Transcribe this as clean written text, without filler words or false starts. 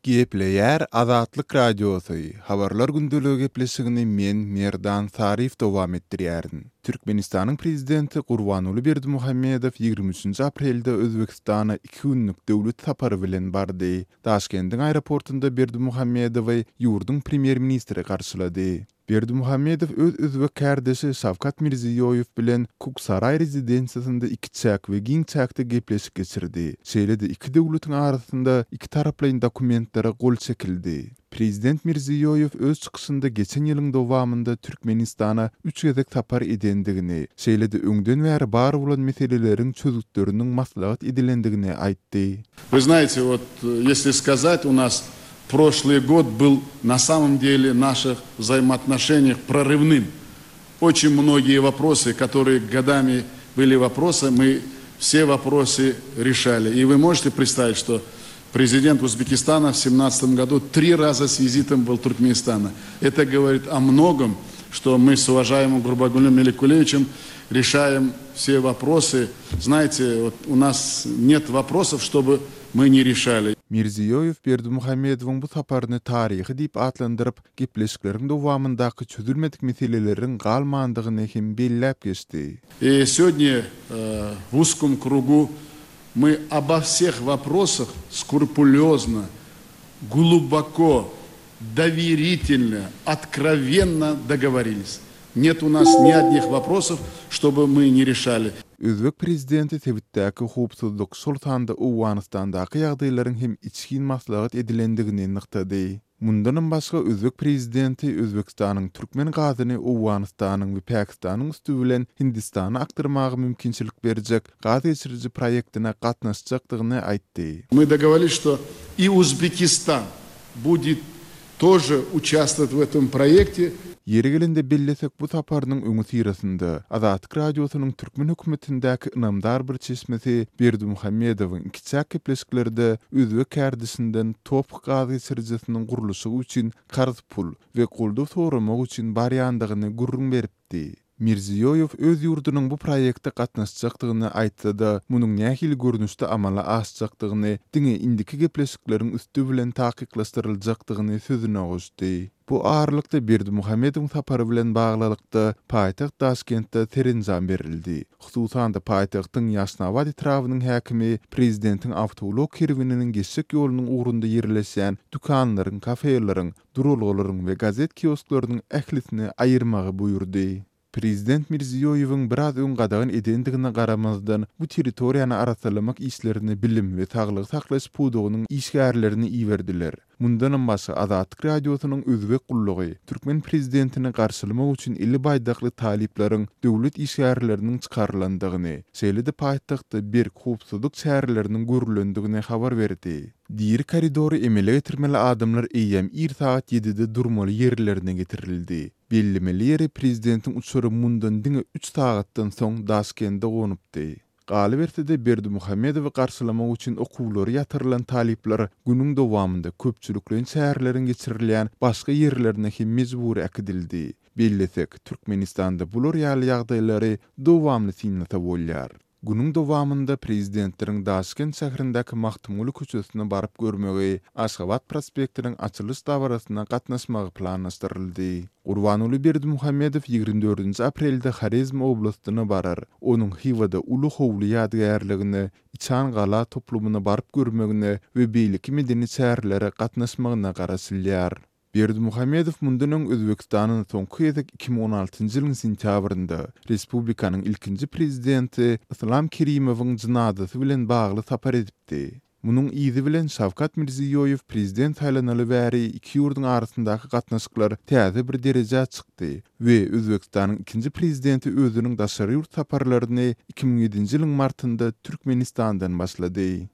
Gepleýär Azatlyk Radiosy, Habarlar gündeligi gepleşigini men, Merdan Saryýew dowam etdirýärin. Türkmenistanyň Prezidenti Gurbanguly Berdimuhamedow 23-nji aprelde Özbegistana iki günlük döwlet sapary bilen bardy. Daşkendiň aeroportunda Berdimuhamedowy ýurduň premýer-ministri garşylady. Berdimuhamedow öz özbek kärdeşi Şawkat Mirziýoýew bilen Kuksaraý rezidensiýasynda ikiçäk we giň çäkde gepleşik geçirdi. Şeýle-de iki döwletiň arasynda ikitaraplaýyn dokumentlere gol çekildi. Prezident Mirziýoýew öz çykyşynda geçen ýylyň dowamynda Türkmenistana üç gezek sapar edendigini, şeýle-de öňden bäri bar bolan meseleleriň çözgütleriniň maslahat edilendigini aýtdy. Вы знаете, вот если сказать, у нас Прошлый год был на самом деле наших взаимоотношениях прорывным. Очень многие вопросы, которые годами были вопросы, мы все вопросы решали. И вы можете представить, что президент Узбекистана в 2017 году три раза с визитом был в Туркменистане. Это говорит о многом, что мы с уважаемым Гурбангулем Меликулевичем решаем все вопросы. Знаете, вот у нас нет вопросов, чтобы мы не решали. Mirziýoýew Berdimuhamedowyň bu saparyny taryhy diýip atlandyryp, gepleşikleriň dowamyndaky çözülmedik meseleleriň galmandygyny hem belläp geçdi. И сегодня в узком кругу мы обо всех вопросах скрупулезно, глубоко, доверительно, откровенно договорились. Нет у нас ни одних вопросов, чтобы мы не решали. Özbek prezidenti sebitdäki howpsuzlyk, şol sanda Owganystandaky ýagdaýlaryň hem içgin maslahat edilendigini nygtady. Mundanam başga özbek prezidenti Özbegistanyň türkmen gazyny Owganystanyň we Pakistanyň üsti bilen Hindistana akdyrmaga mümkinçilik berjek gaz geçiriji proýektine gatnaşjakdygyny aýtdy. Мы договорились, что и Узбекистан будет тоже участвовать в этом проекте. Ýeri gelende bellesek, bu saparynyň öňüsyrasynda, Azatlyk Radiosynyň türkmen hökümetindäki ynamdar bir çeşmesi Berdimuhamedowyň ikiçäk gepleşiklerde özbek kärdeşinden TOPH gaz geçirijisiniň gurluşygy üçin karz pul we goldaw soramak üçin barýandygyny gürrüň beripdi. Mirziýoýew öz ýurdunyň bu proýekte gatnaşjakdygyny aýtsa-da, munuň nähili görnüşde amala aşjakdygyny diňe indiki gepleşikleriň üsti bilen takyklaşdyryljakdygyny sözüne goşdy. Bu aralykda Berdimuhamedowyň sapary bilen baglylykda, paýtagt Daşkentde serenjam berildi. Hususan-da, paýtagtyň Ýaşnabat etrabynyň häkimi prezidentiň awtoulag kerweniniň geçjek ýolunyň ugrunda ýerleşýän dükanlaryň, kafeleriň, duralgalaryň we gazet kiosklarynyň ählisini aýyrmagy buýurdy. Prezident Mirziýoýewiň biraz öň gadagan edendigine garamazdan, bu territoriýany arassalamak işlerine bilim we saglygy saklaýyş pudagynyň işgärlerini iberdiler. Mundanam başga, Azatlyk Radiosynyň Özbek gullugy türkmen prezidentini garşylamak üçin eli baýdakly talyplaryň döwlet işgärleriniň çykarylandygyny, şeýle-de paýtagtda berk howpsuzlyk çäreleriniň görülendigini habar berdi. Diri koridory emele getirmeli adamlar eýýäm ir sagat ýedide durmaly ýerlerine getirildi. Bellemeli ýeri prezidentiň uçary mundan diňe üç sagatdan soň Daşkende gonupdy. Galyberse-de Berdimuhamedowy garşylamak üçin okuwlary ýatyrylan talyplar günüň dowamynda köpçülikleýin çäreleriň geçirilýän başga ýerlerine hem mejbury äkidildi. Bellesek, Türkmenistanda bular ýaly ýagdaýlary dowamly synlasa bolýar. Günüň dowamynda Prezidentleriň Daşkent şäherindäki Magtymguly köçesine baryp görmegi, Aşgabat prospektiniň açylyş dabarasyna gatnaşmagy planlaşdyryldy. Gurbanguly Berdimuhamedow 24-nji aprelde Horezm oblastyna barar. Onuň Hywada Uly howly ýadygärligine, Içan gala toplumyna baryp görmegine we beýleki medeni çärelere gatnaşmagyna garaşylýar. Berdimuhamedow mundan öň Özbegistana soňky gezek 2016-njy ýylyň sentýabrynda respublikanyň ilkinji prezidenti Yslam Kerimowyň jynazasy bilen bagly sapar edipdi. Munuň yzy bilen Şawkat Mirziýoýew prezident saýlanaly bäri iki ýurduň arasyndaky gatnaşyklar täze bir derejä çykdy we Özbegistanyň ikinji prezidenti özüniň daşary ýurt saparlaryny 2007-nji ýylyň martynda Türkmenistandan başlady.